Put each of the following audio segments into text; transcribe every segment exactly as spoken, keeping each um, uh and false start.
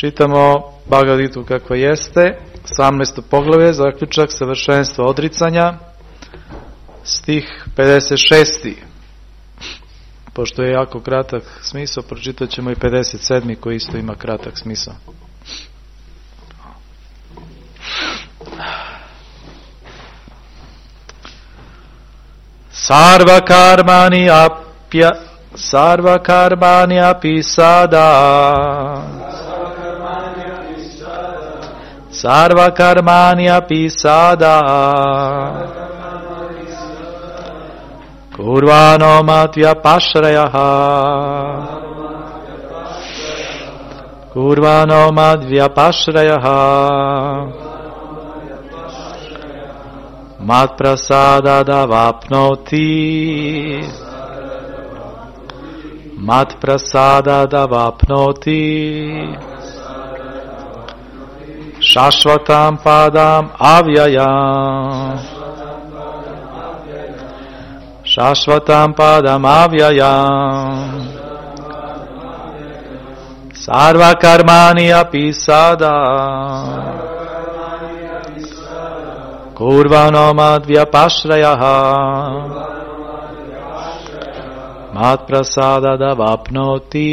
Čitamo Bhagavad Gitu kako jeste, osamnaesto poglavlje, zaključak savršenstva odricanja, stih pedeset šest. Pošto je jako kratak smisao, pročitat ćemo i pedeset sedmi koji isto ima kratak smisao. Sarva karmani apya sarva karmani api sada sarva karmani api sada kurvano matvya pashrayah kurvano madvya pashrayah mat prasada davapnoti mat prasada davapnoti shashvatam padam avyayam shashvatam padam avyayam sarva karmani api sada kurvano madvya pashrayah mat prasada davapnoti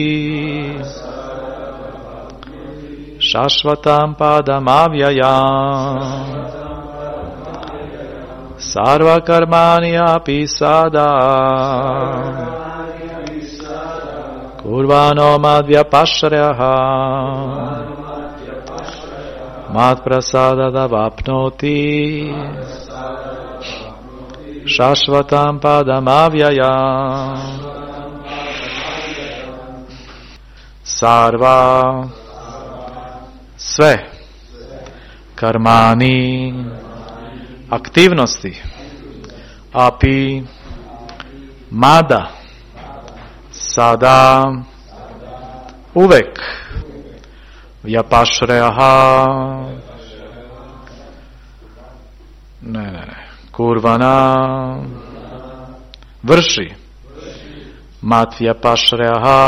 shashvatam padam avyayam sarva karmani api sada kurvano madvya pashrayah mat prasada davapnoti shashvatam padam avyayam sarva sve karmani aktivnosti api mada sada uvek vyapašreha ne ne ne kurvana vrši mat vyapašreha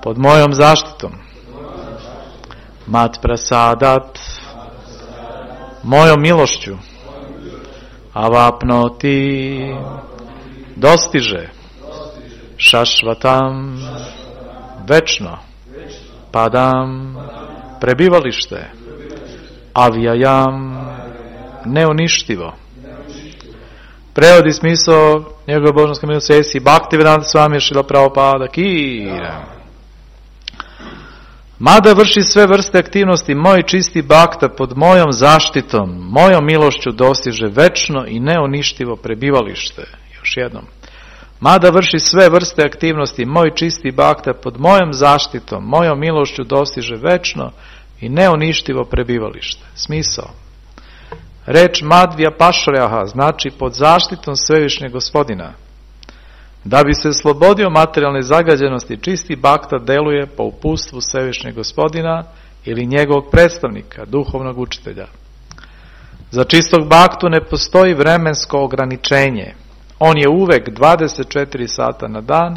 pod mojom zaštitom mat prasadat mojom milošću avapnoti dostiže šašvatam večno padam prebivalište avyayam neuništivo. Prevodi smisao njegove božanske milosti Esi Bhaktivedanta Swami Srila Prabhupada ki. Mada vrši sve vrste aktivnosti, moj čisti bhakta pod mojom zaštitom, mojom milošću dostiže večno i neuništivo prebivalište. Još jednom. Mada vrši sve vrste aktivnosti, moj čisti bhakta pod mojom zaštitom, mojom milošću dostiže večno i neuništivo prebivalište. Smisao. Reč madvya pashrayah znači pod zaštitom svevišnjeg gospodina. Da bi se slobodio materijalne zagađenosti, čisti bhakta deluje po uputstvu svevišnjeg gospodina ili njegovog predstavnika, duhovnog učitelja. Za čistog bhaktu ne postoji vremensko ograničenje. On je uvek dvadeset četiri sata na dan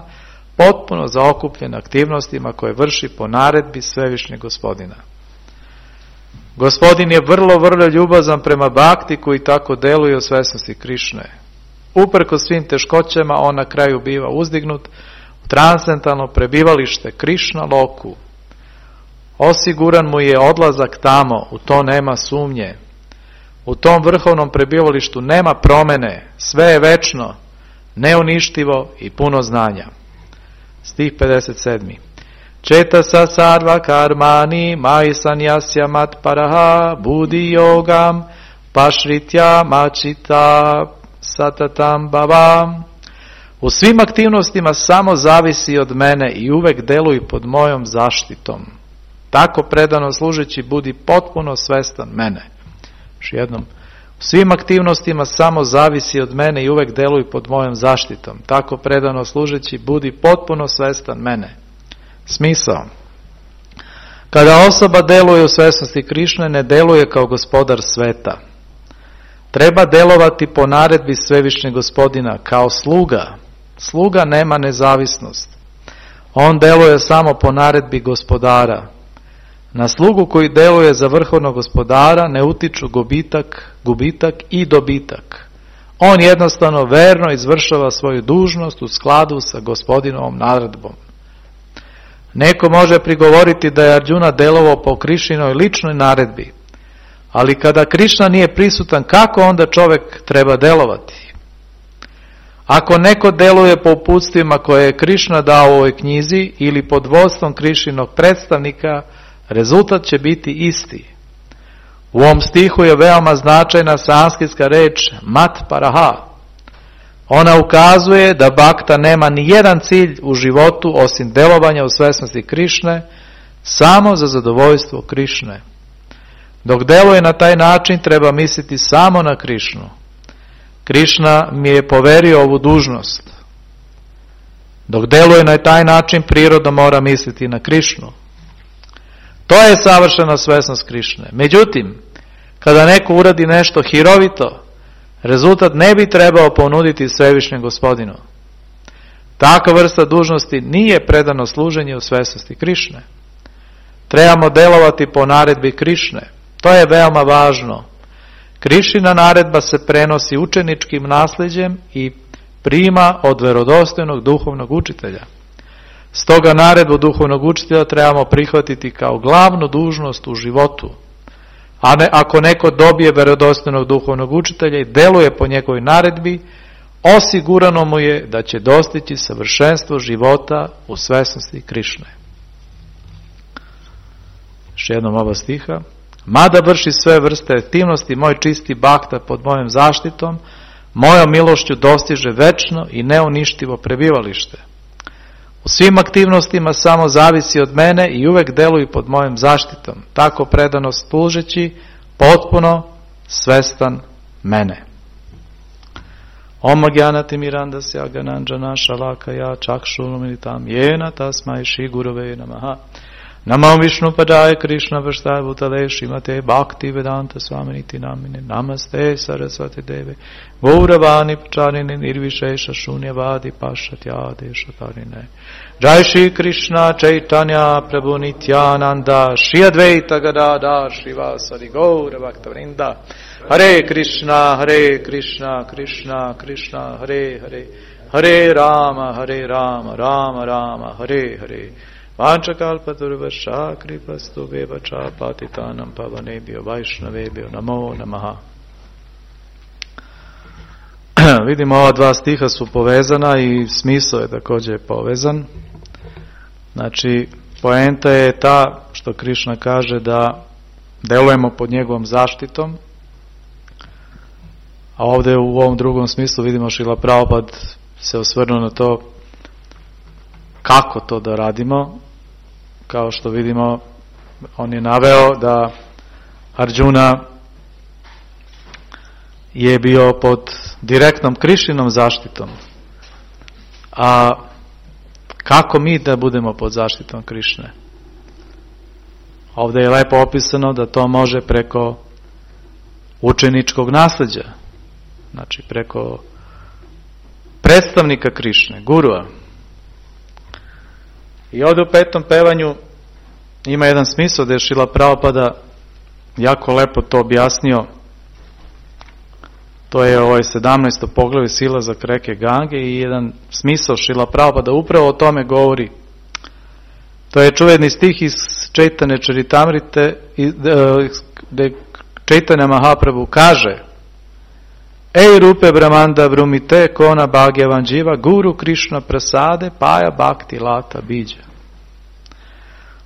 potpuno zaokupljen aktivnostima koje vrši po naredbi svevišnjeg gospodina. Gospodin je vrlo, vrlo ljubazan prema bhakti koji tako deluje u svesnosti Krišne. Uprkos svim teškoćama on na kraju biva uzdignut u transcendentalno prebivalište Krišna loku. Osiguran mu je odlazak tamo, u to nema sumnje. U tom vrhovnom prebivalištu nema promene, sve je večno, neuništivo i puno znanja. Stih pedeset sedmi. Četa sa sarva karmani mai sanyasya mat paraha budi yogam pašritya machita satatam bhavam. U svim aktivnostima samo zavisi od mene i uvek deluj pod mojom zaštitom. Tako predano služeći budi potpuno svestan mene. Još jednom. U svim aktivnostima samo zavisi od mene i uvek deluj pod mojom zaštitom. Tako predano služeći budi potpuno svestan mene. Smisao. Kada osoba deluje u svesnosti Krišne, ne deluje kao gospodar sveta. Treba delovati po naredbi svevišnjeg gospodina kao sluga. Sluga nema nezavisnost. On deluje samo po naredbi gospodara. Na slugu koji deluje za vrhovnog gospodara ne utiču gubitak, gubitak i dobitak. On jednostavno verno izvršava svoju dužnost u skladu sa gospodinovom naredbom. Neko može prigovoriti da je Arđuna delovao po Krišinoj ličnoj naredbi, ali kada Krišna nije prisutan, kako onda čovjek treba delovati? Ako neko deluje po uputstvima koje je Krišna dao u ovoj knjizi ili pod vodstvom Krišinog predstavnika, rezultat će biti isti. U ovom stihu je veoma značajna sanskritska reč mat paraha. Ona ukazuje da bakta nema ni jedan cilj u životu osim delovanja u svesnosti Krišne, samo za zadovoljstvo Krišne. Dok deluje na taj način treba misliti samo na Krišnu. Krišna mi je poverio ovu dužnost. Dok deluje na taj način prirodno mora misliti na Krišnu. To je savršena svesnost Krišne. Međutim, kada neko uradi nešto hirovito, rezultat ne bi trebao ponuditi svevišnjem gospodinu. Takva vrsta dužnosti nije predano služenje u svesnosti Krišne. Trebamo delovati po naredbi Krišne. To je veoma važno. Krišina naredba se prenosi učeničkim nasljeđem i prima od verodostojnog duhovnog učitelja. Stoga naredbu duhovnog učitelja trebamo prihvatiti kao glavnu dužnost u životu. A ne, ako neko dobije verodostojnog duhovnog učitelja i deluje po njegovoj naredbi, osigurano mu je da će dostići savršenstvo života u svesnosti Krišne. Još jednom ova stiha. Mada vrši sve vrste aktivnosti, moj čisti bakta pod mojom zaštitom, mojom milošću dostiže večno i neuništivo prebivalište. U svim aktivnostima samo zavisi od mene i uvek deluju pod mojom zaštitom, tako predano služeći, potpuno svestan mene. Om Gyanati Mirandasya Gananjana Shalakaya Chakshulumilitam Yena Tasmai Shri Gurave Namaha Namam Vishnu Padaya Krishna Vashtaya Bhutale Srimate Bhakti Vedanta Swaminiti Namine Namaste Saraswati Deve Gauravani Pacharini Nirvishesha Shunyavadi Pashatyade Shatarine Jai Shri Krishna Chaitanya Prabhu Nityananda Shri Advaita Gadadhar Shrivasadi Gaura Bhaktavrinda Hare Krishna Hare Krishna Krishna Krishna Hare Hare Hare Rama Hare Rama Rama Rama Hare Hare Vanchakalpaturvascha kripastu vevacha patitanam pavanebhyo vaishnavebhyo namo namaha. Vidimo, ova dva stiha su povezana i smisao je također povezan. Znači, poenta je ta što Krišna kaže da delujemo pod njegovom zaštitom, a ovdje u ovom drugom smislu vidimo Šrila Prabhupada se osvrnuo na to kako to da radimo. Kao što vidimo, on je naveo da Arđuna je bio pod direktnom Krišinom zaštitom. A kako mi da budemo pod zaštitom Krišne? Ovdje je lepo opisano da to može preko učeničkog nasljeđa. Znači preko predstavnika Krišne, gurua. I ovdje u petom pevanju ima jedan smisao da je Šrila Prabhupada jako lepo to objasnio. To je ovaj sedamnaesto poglavlje silazak reke Gange i jedan smisao Šrila Prabhupada upravo o tome govori. To je čuveni stih iz Čaitanje Čaritamrite gdje Čaitanya Mahaprabhu kaže: Ej rupe brahmanda vrumite kona bhagyavan jiva guru Krishna prasade paja bhakti lata biđa.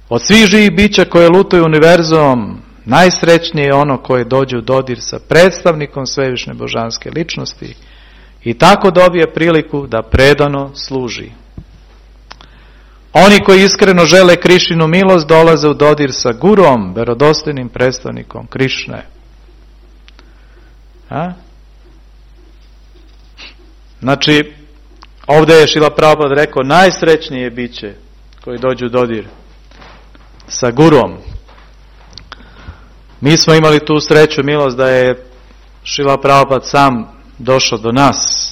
Od svih živih bića koje lutaju univerzumom, najsrećnije je ono koje dođe u dodir sa predstavnikom svevišnje božanske ličnosti i tako dobije priliku da predano služi. Oni koji iskreno žele Krišinu milost dolaze u dodir sa gurom, verodostojnim predstavnikom Krišne. A? Znači, ovdje je Šrila Prabhupada rekao najsrećnije je biće koji dođu u dodir sa gurom. Mi smo imali tu sreću, milost da je Šrila Prabhupada sam došao do nas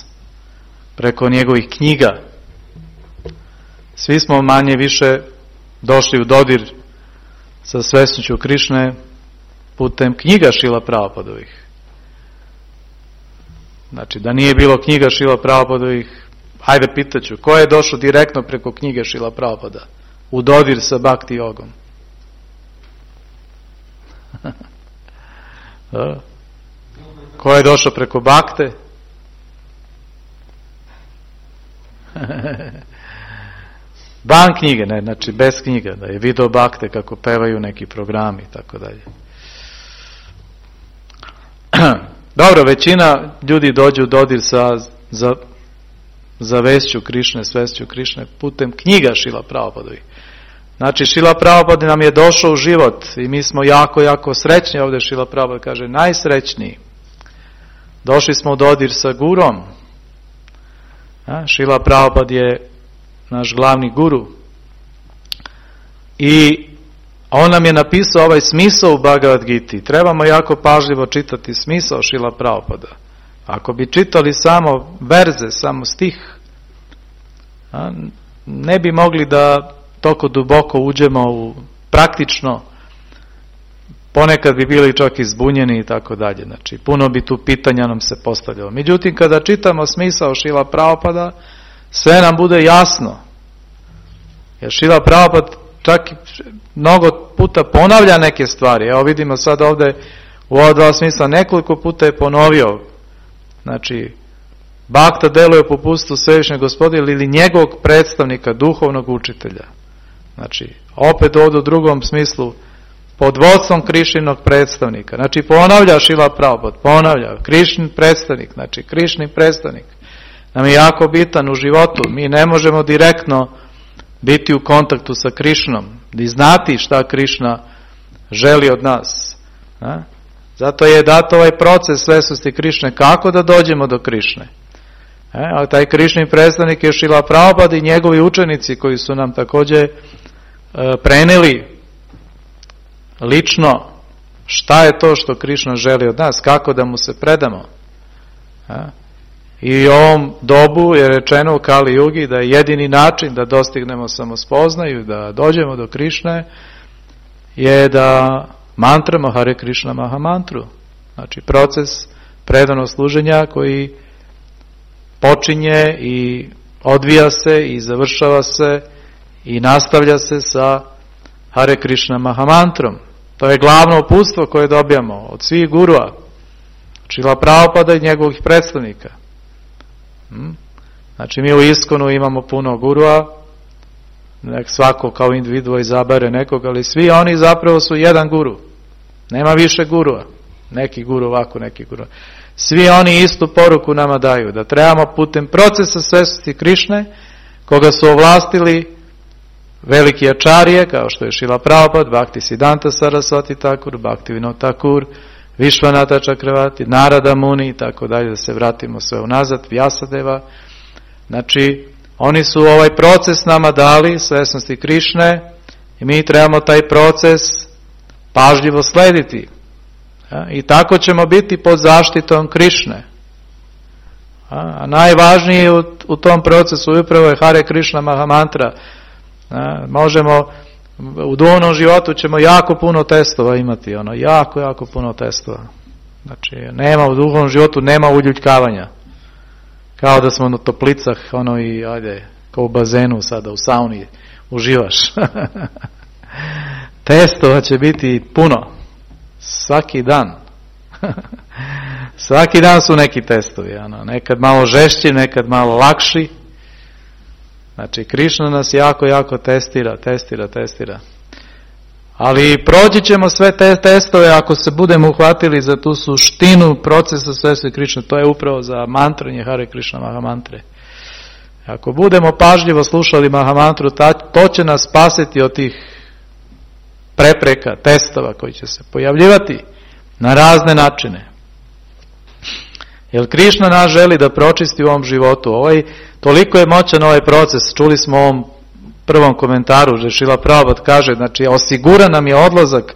preko njegovih knjiga. svi smo manje više došli u dodir sa svesnošću Krišne putem knjiga Šrila Prabhupadovih. Znači, da nije bilo knjiga Šrila Prabhupadovih, hajde pitaću, ko je došao direktno preko knjige Šrila Prabhupada u dodir sa Bhakti jogom? Ko je došao preko Bhakte? Van knjige, ne, znači bez knjiga, da je video Bhakte kako pevaju neki programi i tako dalje. Dobro, većina ljudi dođe u dodir sa za, za vesću Krišne, svesću Krišne putem knjiga Šrila Prabhupadovih. Znači, Šrila Prabhupada nam je došao u život i mi smo jako, jako srećni. Ovdje Šrila Prabhupada kaže najsrećniji. Došli smo u dodir sa gurom. A, Šrila Prabhupada je naš glavni guru. I on nam je napisao ovaj smisao u Bhagavad Giti. Trebamo jako pažljivo čitati smisao Šrila Prabhupada. Ako bi čitali samo verze, samo stih, a, ne bi mogli da toliko duboko uđemo u praktično, ponekad bi bili čak izbunjeni i tako dalje. Znači, puno bi tu pitanja nam se postavljalo. Međutim, kada čitamo smisao Šrila Prabhupada, sve nam bude jasno. Jer Šrila Prabhupada čak mnogo puta ponavlja neke stvari. Evo vidimo sad ovdje u ova dva smisla nekoliko puta je ponovio. Znači, Bhakta deluje po pustu Svevišnjeg Gospodina ili njegovog predstavnika, duhovnog učitelja. Znači, opet ovdje u drugom smislu, pod vodstvom Krišninog predstavnika. Znači, ponavlja Šrila Prabhupada, ponavlja, Krišnin predstavnik, znači, Krišni predstavnik. Nam je jako bitan u životu. Mi ne možemo direktno biti u kontaktu sa Krišnom, i znati šta Krišna želi od nas. A? Zato je dat ovaj proces svesnosti Krišne, kako da dođemo do Krišne. E, a taj Krišni predstavnik je Šrila Prabhupada i njegovi učenici koji su nam također e, preneli lično šta je to što Krišna želi od nas, kako da mu se predamo. E, I u ovom dobu je rečeno u Kali Jugi da je jedini način da dostignemo samospoznaju, da dođemo do Krišne, je da mantramo Hare Krišna Mahamantru. Znači proces predanog služenja koji počinje i odvija se i završava se i nastavlja se sa Hare Krišna Mahamantrom. To je glavno uputstvo koje dobijamo od svih gurua, Šrila Prabhupada i njegovih predstavnika. Znači mi u Iskonu imamo puno gurua, nek svako kao individua izabere nekog, ali svi oni zapravo su jedan guru. Nema više gurua. Neki guru ovako, neki guru. Svi oni istu poruku nama daju, da trebamo putem procesa svesnosti Krišne, koga su ovlastili veliki ačarije, kao što je Šrila Prabhupada, Bhakti Siddhanta Sarasvati Thakur, Bhakti Vinod Thakur, Višvanata Čakravati, Narada Muni i tako dalje, da se vratimo sve unazad, Vyasadeva. Znači, oni su ovaj proces nama dali, svesnosti Krišne, i mi trebamo taj proces pažljivo slediti. Ja, i tako ćemo biti pod zaštitom Krišne. A, a najvažnije u, u tom procesu upravo je Hare Krišna Mahamantra. A, možemo, u duhovnom životu ćemo jako puno testova imati, ono, jako, jako puno testova. Znači, nema u duhovnom životu, nema uljuljkavanja. Kao da smo na toplicah, ono, i ajde, kao u bazenu sada, u sauni, uživaš. Testova će biti puno. Svaki dan. Svaki dan su neki testovi. Ano. Nekad malo žešći, nekad malo lakši. Znači, Krišna nas jako, jako testira, testira, testira. Ali proći ćemo sve te testove ako se budemo uhvatili za tu suštinu procesa svesnosti Krišne. To je upravo za mantranje Hare Krišna Mahamantre. Ako budemo pažljivo slušali Mahamantru, to će nas spasiti od tih prepreka, testova koji će se pojavljivati na razne načine. Jer Krišna nas želi da pročisti u ovom životu. Ovaj, toliko je moćan ovaj proces. Čuli smo u ovom prvom komentaru, že Šrila Prabhupada kaže, znači osigura nam je odlazak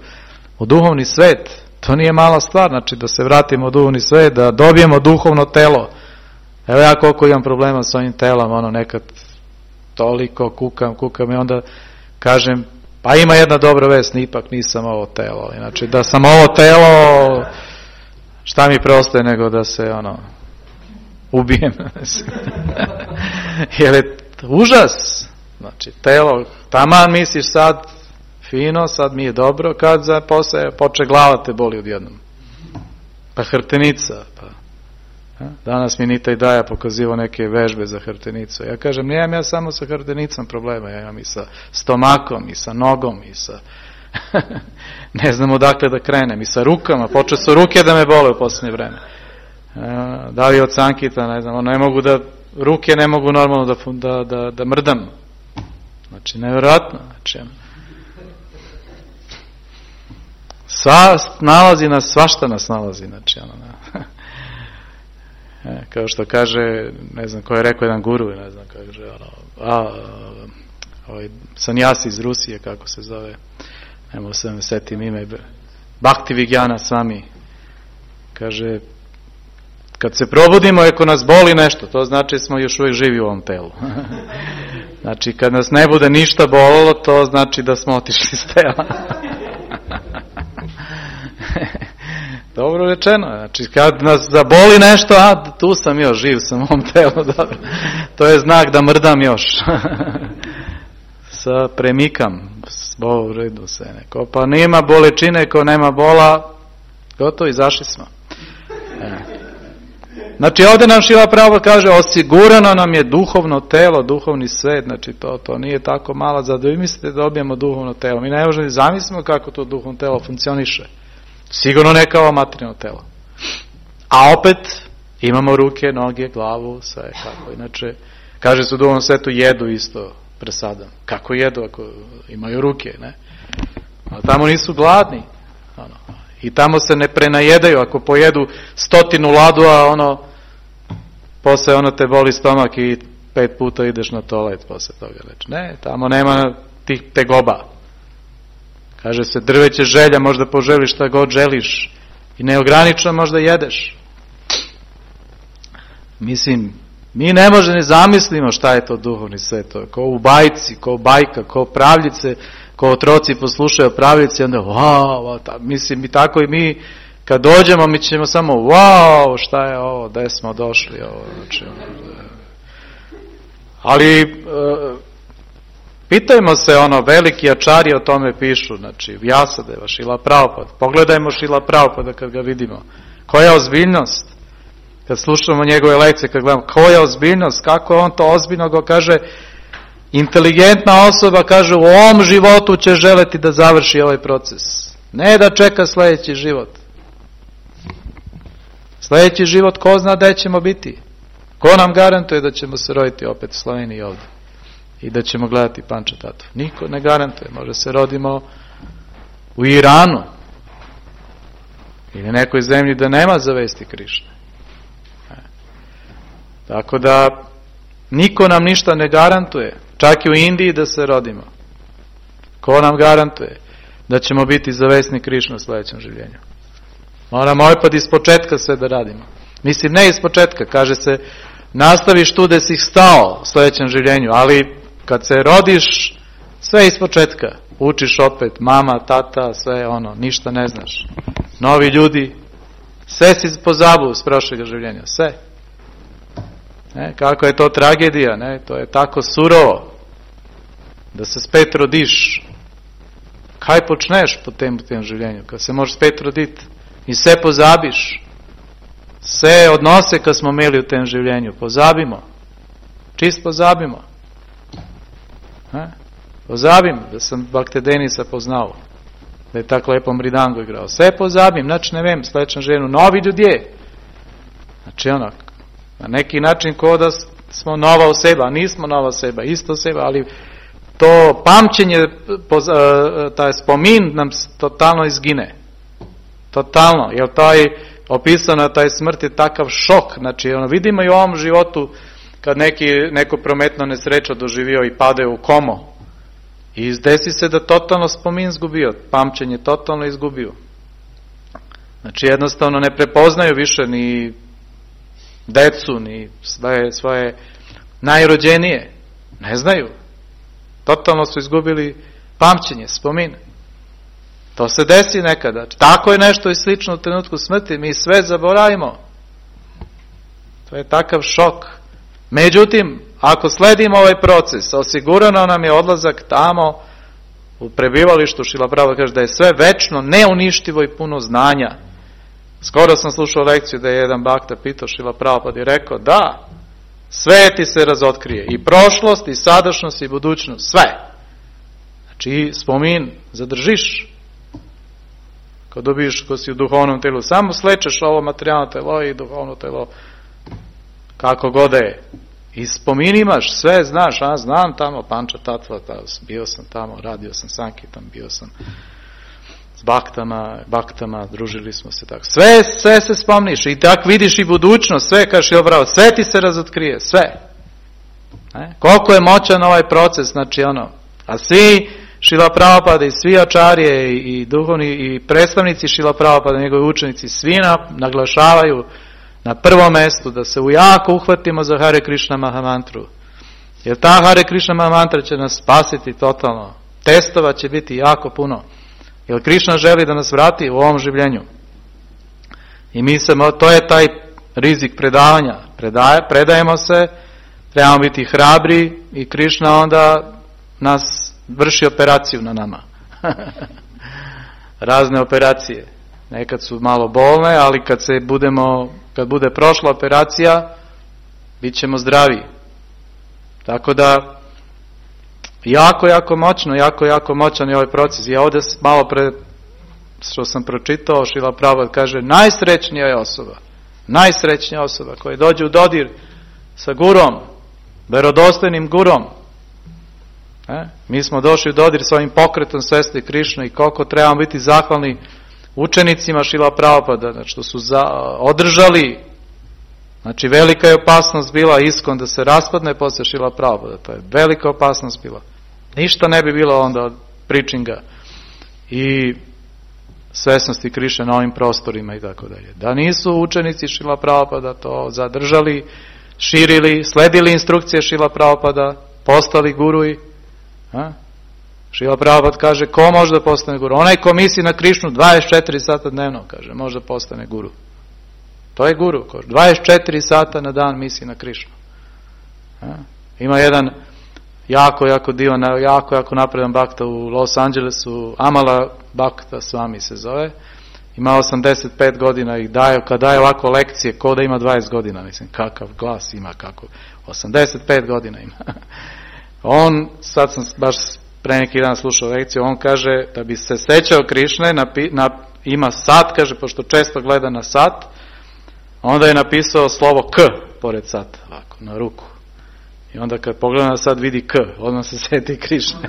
u duhovni svet. To nije mala stvar, znači da se vratimo u duhovni svet, da dobijemo duhovno telo. Evo ja koliko imam problema s ovim telom, ono nekad toliko kukam, kukam i onda kažem, pa ima jedna dobra vest, ipak nisam ovo telo. Znači, da sam ovo telo, šta mi preostaje nego da se, ono, ubijem. Jer je užas. Znači, telo, taman misliš sad fino, sad mi je dobro, kad za posle poče glava te boli odjednom. Pa hrtenica, pa. Danas mi Nita i Daja pokazivo neke vežbe za hrtenicu. Ja kažem, nemam ja samo sa hrtenicom problema, ja imam i sa stomakom, i sa nogom, i sa... ne znam odakle da krenem, i sa rukama, počeo su ruke da me bole u posljednje vreme. Da li od sankita, ne znam, ne mogu da, ruke ne mogu normalno da, da, da, da mrdam. Znači, nevjerojatno. Znači, sva nalazi nas, svašta nas nalazi, znači, ono, ne. E, kao što kaže, ne znam ko je rekao jedan guru, ne znam kaže, ono, a, ovaj sanjasi iz Rusije, kako se zove, ne mogu se me setim ime, Bhaktivigyana Swami, kaže, kad se probudimo, ako nas boli nešto, to znači smo još uvijek živi u ovom telu. Znači, kad nas ne bude ništa bolilo, to znači da smo otišli iz tela. Dobro rečeno, znači kad nas zaboli nešto, a tu sam još, živ sam u ovom telu, dobro. To je znak da mrdam još. Sa premikam, u redu se neko, pa nema bolečine, ko nema bola, gotovo, izašli smo. E. Znači ovdje nam Šrila Prabhupada kaže, osigurano nam je duhovno telo, duhovni svet, znači to, to nije tako mala, za da vi mislite da dobijemo duhovno telo. Mi ne možemo zamislimo kako to duhovno telo funkcioniše. Sigurno ne kao materijalno telo. A opet imamo ruke, noge, glavu, sve kako. Inače, kaže se u duhovnom svetu jedu isto presadam. Kako jedu ako imaju ruke, ne? A tamo nisu gladni. Ono. I tamo se ne prenajedaju. Ako pojedu stotinu ladu, a ono, posle ono te boli stomak i pet puta ideš na toalet posle toga. Reći. Ne, tamo nema tih tegoba. Kaže se, drveće želja, možda poželiš šta god želiš i neogranično možda jedeš. Mislim, mi ne možemo ne zamislimo šta je to duhovni svet. Ko u bajci, ko bajka, ko pravljice, ko otroci poslušaju pravljice, onda wow, ta, mislim, i tako i mi, kad dođemo, mi ćemo samo wow, šta je ovo, gde smo došli, ovo, znači, ali... Uh, pitajmo se, ono, veliki ačari o tome pišu, znači, Vjasadeva, Šrila Prabhupada. Pogledajmo Šrila Prabhupada kad ga vidimo. Koja je ozbiljnost? Kad slušamo njegove lekcije, kad gledamo, koja je ozbiljnost? Kako on to ozbiljno go kaže? Inteligentna osoba kaže, u ovom životu će želeti da završi ovaj proces. Ne da čeka sljedeći život. Sljedeći život, ko zna gde ćemo biti? Ko nam garantuje da ćemo se roditi opet u Sloveniji ovdje? I da ćemo gledati Pančatatu. Niko ne garantuje. Može se rodimo u Iranu ili nekoj zemlji da nema zavesti Krišne. E. Tako da niko nam ništa ne garantuje. Čak i u Indiji da se rodimo. Ko nam garantuje da ćemo biti zavesni Krišne u sljedećem življenju? Moramo opet iz početka sve da radimo. Mislim, ne iz početka. Kaže se, nastaviš tu da si stao u sljedećem življenju, ali kad se rodiš, sve iz početka. Učiš opet, mama, tata, sve ono, ništa ne znaš. Novi ljudi, sve si pozabu s prošljega življenja, sve. Ne, kako je to tragedija, ne, to je tako surovo. Da se spet rodiš. Kaj počneš po tem, po tem življenju? Kad se možeš spet roditi i sve pozabiš. Sve odnose kad smo imeli u tem življenju, pozabimo. Čist pozabimo. Ha? Pozabim da sam Bhakti Denisa poznao, da je tako lepo mridango igrao. Sve pozabim, znači ne vem, sledećem ženu, novi ljudje. Znači ono, na neki način ko da smo nova oseba, nismo nova oseba, isto oseba, ali to pamćenje, taj spomin nam totalno izgine. Totalno, jer taj opisano taj smrt je takav šok, znači ono, vidimo i u ovom životu kad neki, neko prometno nesreća doživio i pade u komo i desi se da totalno spomin izgubio, pamćenje totalno izgubio. Znači jednostavno ne prepoznaju više ni decu, ni svoje, svoje najrođenije. Ne znaju. Totalno su izgubili pamćenje, spomin. To se desi nekada. Tako je nešto i slično u trenutku smrti. Mi sve zaboravimo. To je takav šok. Međutim, ako sledimo ovaj proces, osigurano nam je odlazak tamo u prebivalištu. Šrila Prabhupada kaže da je sve večno, neuništivo i puno znanja. Skoro sam slušao lekciju da je jedan bakta pitao Šrila Prabhupada i rekao da, sve ti se razotkrije. I prošlost, i sadašnjost, i budućnost. Sve. Znači, spomin zadržiš. Kad dobiješ, ko si u duhovnom telu, samo slečeš ovo materijalno telo i duhovno telo kako god je. I spomin imaš, sve znaš, a znam tamo Panča Tatva, bio sam tamo, radio sam Sankitam, bio sam s baktama, baktama, družili smo se tako. Sve, sve se spomniš i tako vidiš i budućnost, sve kažeš, jo bravo, sve ti se razotkrije, sve. Ne? Koliko je moćan ovaj proces, znači ono, a svi Šrila Prabhupada i svi ačarije i, i duhovni i predstavnici Šrila Prabhupada, njegovi učenici, svi naglašavaju na prvom mjestu da se jako uhvatimo za Hare Krishna Mahamantru. Jer ta Hare Krishna Mahamantra će nas spasiti totalno. Testova će biti jako puno. Jer Krishna želi da nas vrati u ovom življenju. I mi se, to je taj rizik predavanja. Predaje, predajemo se, trebamo biti hrabri i Krishna onda nas vrši operaciju na nama. Razne operacije. Nekad su malo bolne, ali kad se budemo, kad bude prošla operacija, bit ćemo zdravi. Tako da, jako, jako moćno, jako, jako moćan je ovaj proces. Ja ovdje malo pre, što sam pročitao, Šrila Prabhupada kaže, najsrećnija je osoba, najsrećnija osoba koja dođe u dodir sa gurom, verodostojnim gurom. E? Mi smo došli u dodir s ovim pokretom svesti Krišne i koliko trebamo biti zahvalni učenicima Šrila Prabhupada, znači što su za, održali, znači velika je opasnost bila Iskon da se raspadne posle Šrila Prabhupada, to je velika opasnost bila. Ništa ne bi bilo onda od pričinga i svesnosti Krišne na ovim prostorima i tako dalje. Da nisu učenici Šrila Prabhupada to zadržali, širili, sledili instrukcije Šrila Prabhupada, postali guruji. A? Šrila Prabhupada kaže, ko može da postane guru? Onaj ko misli na Krišnu dvadeset četiri sata dnevno, kaže, može da postane guru. To je guru. dvadeset četiri sata na dan misli na Krišnu. A? Ima jedan jako, jako divan, jako, jako napredan bakta u Los Angelesu, Amala Bakta Swami se zove. Ima osamdeset pet godina i daje, kad daje ovako lekcije, ko da ima dvadeset godina, mislim, kakav glas ima, kako, osamdeset pet godina ima. On, sad sam baš pre neki dan slušao lekciju, on kaže da bi se sećao Krišne, napi, na, ima sat, kaže, pošto često gleda na sat, onda je napisao slovo K pored sata, ovako, na ruku. I onda kad pogleda na sat vidi K, odmah se seti Krišne.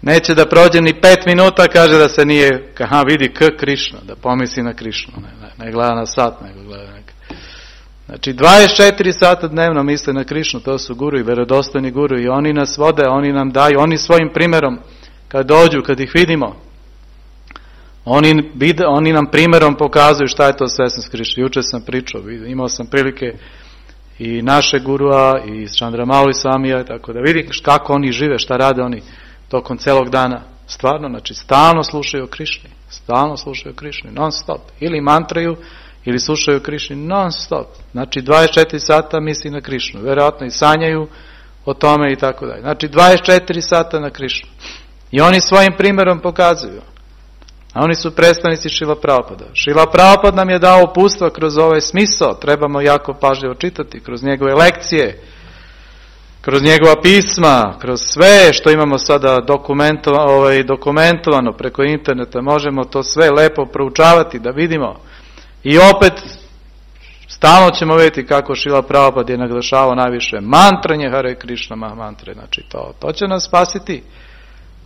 Neće da prođe ni pet minuta, kaže da se nije, aha, vidi K Krišna, da pomisli na Krišnu, ne, ne, ne gleda na sat, nego gleda neka. Znači, dvadeset četiri sata dnevno misle na Krišnu, to su guru i verodostojni guru i oni nas vode, oni nam daju, oni svojim primjerom, kad dođu, kad ih vidimo, oni, oni nam primjerom pokazuju šta je to svesnost Krišne. Juče sam pričao, imao sam prilike i naše gurua i Chandramauli Samija, tako da vidiš kako oni žive, šta rade oni tokom celog dana. Stvarno, znači, stalno slušaju o Krišni, stalno slušaju o Krišni, non stop, ili mantraju, ili slušaju Krišni non stop. Znači dvadeset četiri sata misli na Krišnu. Vjerojatno i sanjaju o tome i tako dalje. Znači dvadeset četiri sata na Krišnu. I oni svojim primjerom pokazuju. A oni su predstavnici Šrila Prabhupada. Šrila Prabhupada nam je dao upustva kroz ovaj smisao. Trebamo jako pažljivo čitati. Kroz njegove lekcije, kroz njegova pisma, kroz sve što imamo sada dokumentovano, ovaj, dokumentovano preko interneta. Možemo to sve lepo proučavati da vidimo. I opet, stalno ćemo vidjeti kako Šrila Prabhupada je naglašavao najviše mantranje Hare Krishna Mahamantre. Znači to, to će nas spasiti.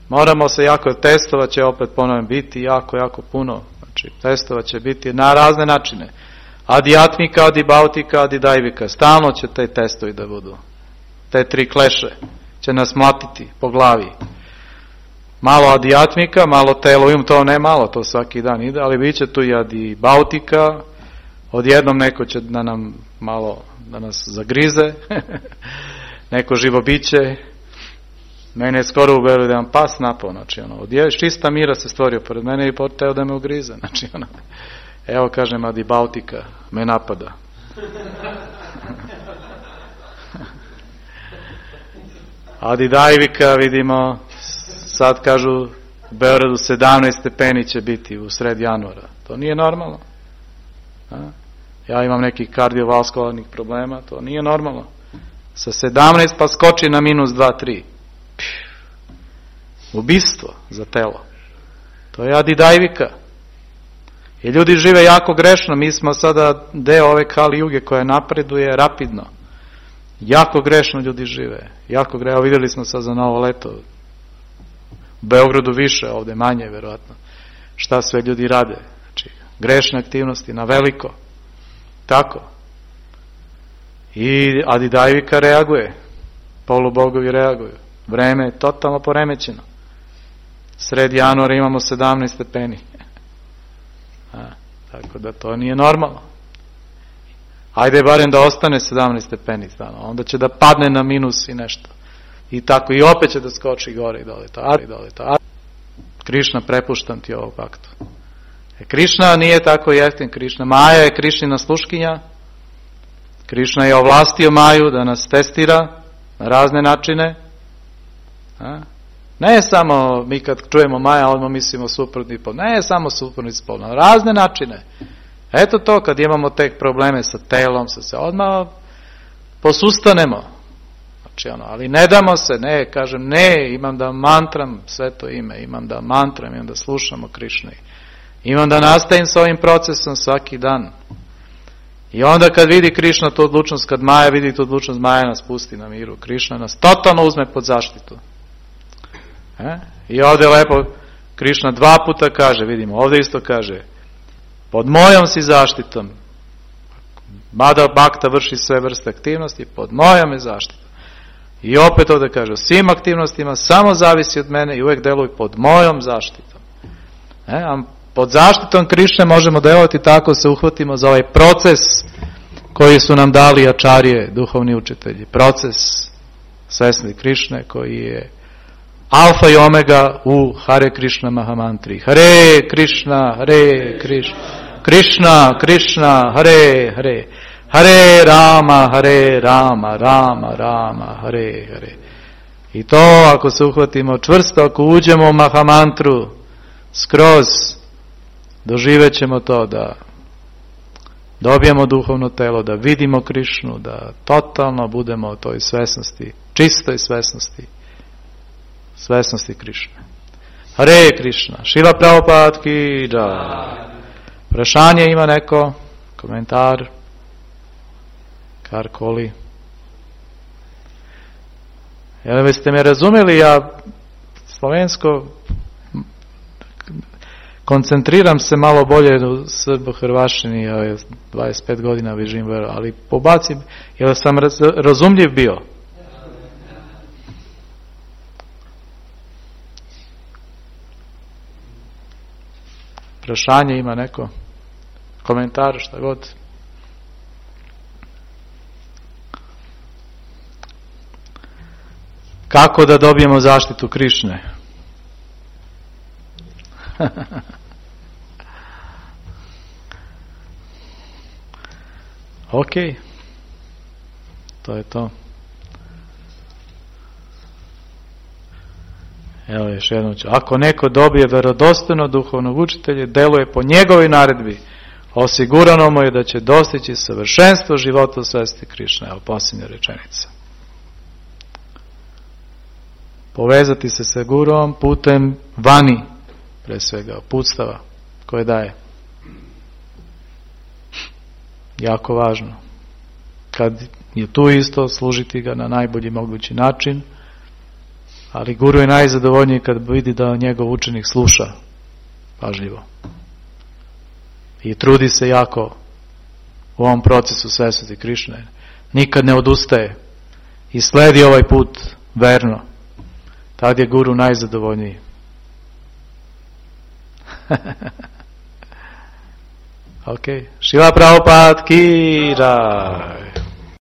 Moramo se jako, testova će opet ponovno biti jako, jako puno. Znači testova će biti na razne načine. Adijatmika, adibautika, adidajvika. Stalno će te testovi da budu. Te tri kleše će nas mlatiti po glavi. Malo adijatmika, malo telo, im to ne malo, to svaki dan ide, ali bit će tu i adibautika, odjednom neko će da nam malo, da nas zagrize, neko živo biće, mene je skoro ubelo da vam pas napao, znači ono, od čista mira se stvorio pored mene i poteo da me ugrize, znači ono, evo kažem, Adi Baltika me napada. Adi Dajvika vidimo, sad kažu u Beogradu sedamnaest stepeni će biti u sred januara. To nije normalno. A? Ja imam nekih kardiovaskularnih problema, to nije normalno. Sa sedamnaest pa skoči na minus dva tri. Ubistvo za telo. To je Adi Dajvika. I ljudi žive jako grešno, mi smo sada deo ove Kali Juge koja napreduje rapidno. Jako grešno ljudi žive. Jako grešno, vidjeli smo sad za novo leto. U Beogradu više, ovde manje, verovatno. Šta sve ljudi rade. Znači, grešne aktivnosti na veliko. Tako. I Adi Dajvika reaguje. Polubogovi reaguju. Vreme je totalno poremećeno. Sred januara imamo sedamnaest stepeni. A, tako da to nije normalno. Ajde barem da ostane sedamnaest stepeni stano. Onda će da padne na minus i nešto. I tako i opet će da skoči gore i dole. To, i dole to. Krišna, prepuštam ti ovog paktu. E, Krišna nije tako jeftin. Krišna. Maja je Krišnina sluškinja. Krišna je ovlastio Maju da nas testira na razne načine. A? Ne samo mi kad čujemo Maja, odmah mislimo suprotni pol. Ne samo suprotni pol, na razne načine. Eto to, kad imamo tek probleme sa telom, sa se odmah posustanemo. Znači ono, ali ne damo se, ne, kažem, ne, imam da mantram sve to ime, imam da mantram, imam da slušamo Krišnu. Imam da nastavim s ovim procesom svaki dan. I onda kad vidi Krišna tu odlučnost, kad Maja vidi tu odlučnost, Maja nas pusti na miru. Krišna nas totalno uzme pod zaštitu. E? I ovdje lepo Krišna dva puta kaže, vidimo, ovdje isto kaže, pod mojom si zaštitom. Mada Bhakta vrši sve vrste aktivnosti, pod mojom je zaštitom. I opet ovdje kaže, o svim aktivnostima samo zavisi od mene i uvijek deluj pod mojom zaštitom. E? A pod zaštitom Krišne možemo delovati tako, se uhvatimo za ovaj proces koji su nam dali ačarije, duhovni učitelji. Proces svesni Krišne koji je alfa i omega u Hare Krishna Mahamantri. Hare Krishna, Hare Krishna, Krishna, Krishna, Hare Hare, Hare Rama, Hare Rama, Rama, Rama, Hare Hare. I to ako se uhvatimo čvrsto, ako uđemo u Mahamantru skroz, doživet ćemo to da dobijemo duhovno telo, da vidimo Krišnu, da totalno budemo u toj svesnosti, čistoj svesnosti, svesnosti Krišne. Hare Krišna, Šila Prabhupada ki džaj. Prašanje ima neko? Komentar? Karkoli? Jel biste me razumeli, ja slovensko koncentriram se malo bolje u Srbo-Hrvašini, ja dvadeset pet godina živim, ali pobacim, jel sam raz, razumljiv bio? Prašanje ima neko? Komentar, šta god? Kako da dobijemo zaštitu Krišne? Ok. To je to. Evo još jednom ću. Ako neko dobije vjerodostojno duhovnog učitelja, deluje po njegovoj naredbi, osigurano mu je da će dostići savršenstvo života u svesti Krišne. Evo posljednja rečenica. Povezati se sa gurom putem vani, pre svega uputstava koje daje. Jako važno. Kad je tu isto, služiti ga na najbolji mogući način, ali guru je najzadovoljniji kad vidi da njegov učenik sluša pažljivo. I trudi se jako u ovom procesu svesnosti Krišne. Nikad ne odustaje i sledi ovaj put verno. Tad je guru najzadovoljniji. Ok. Šila Prabhupada ki jaj.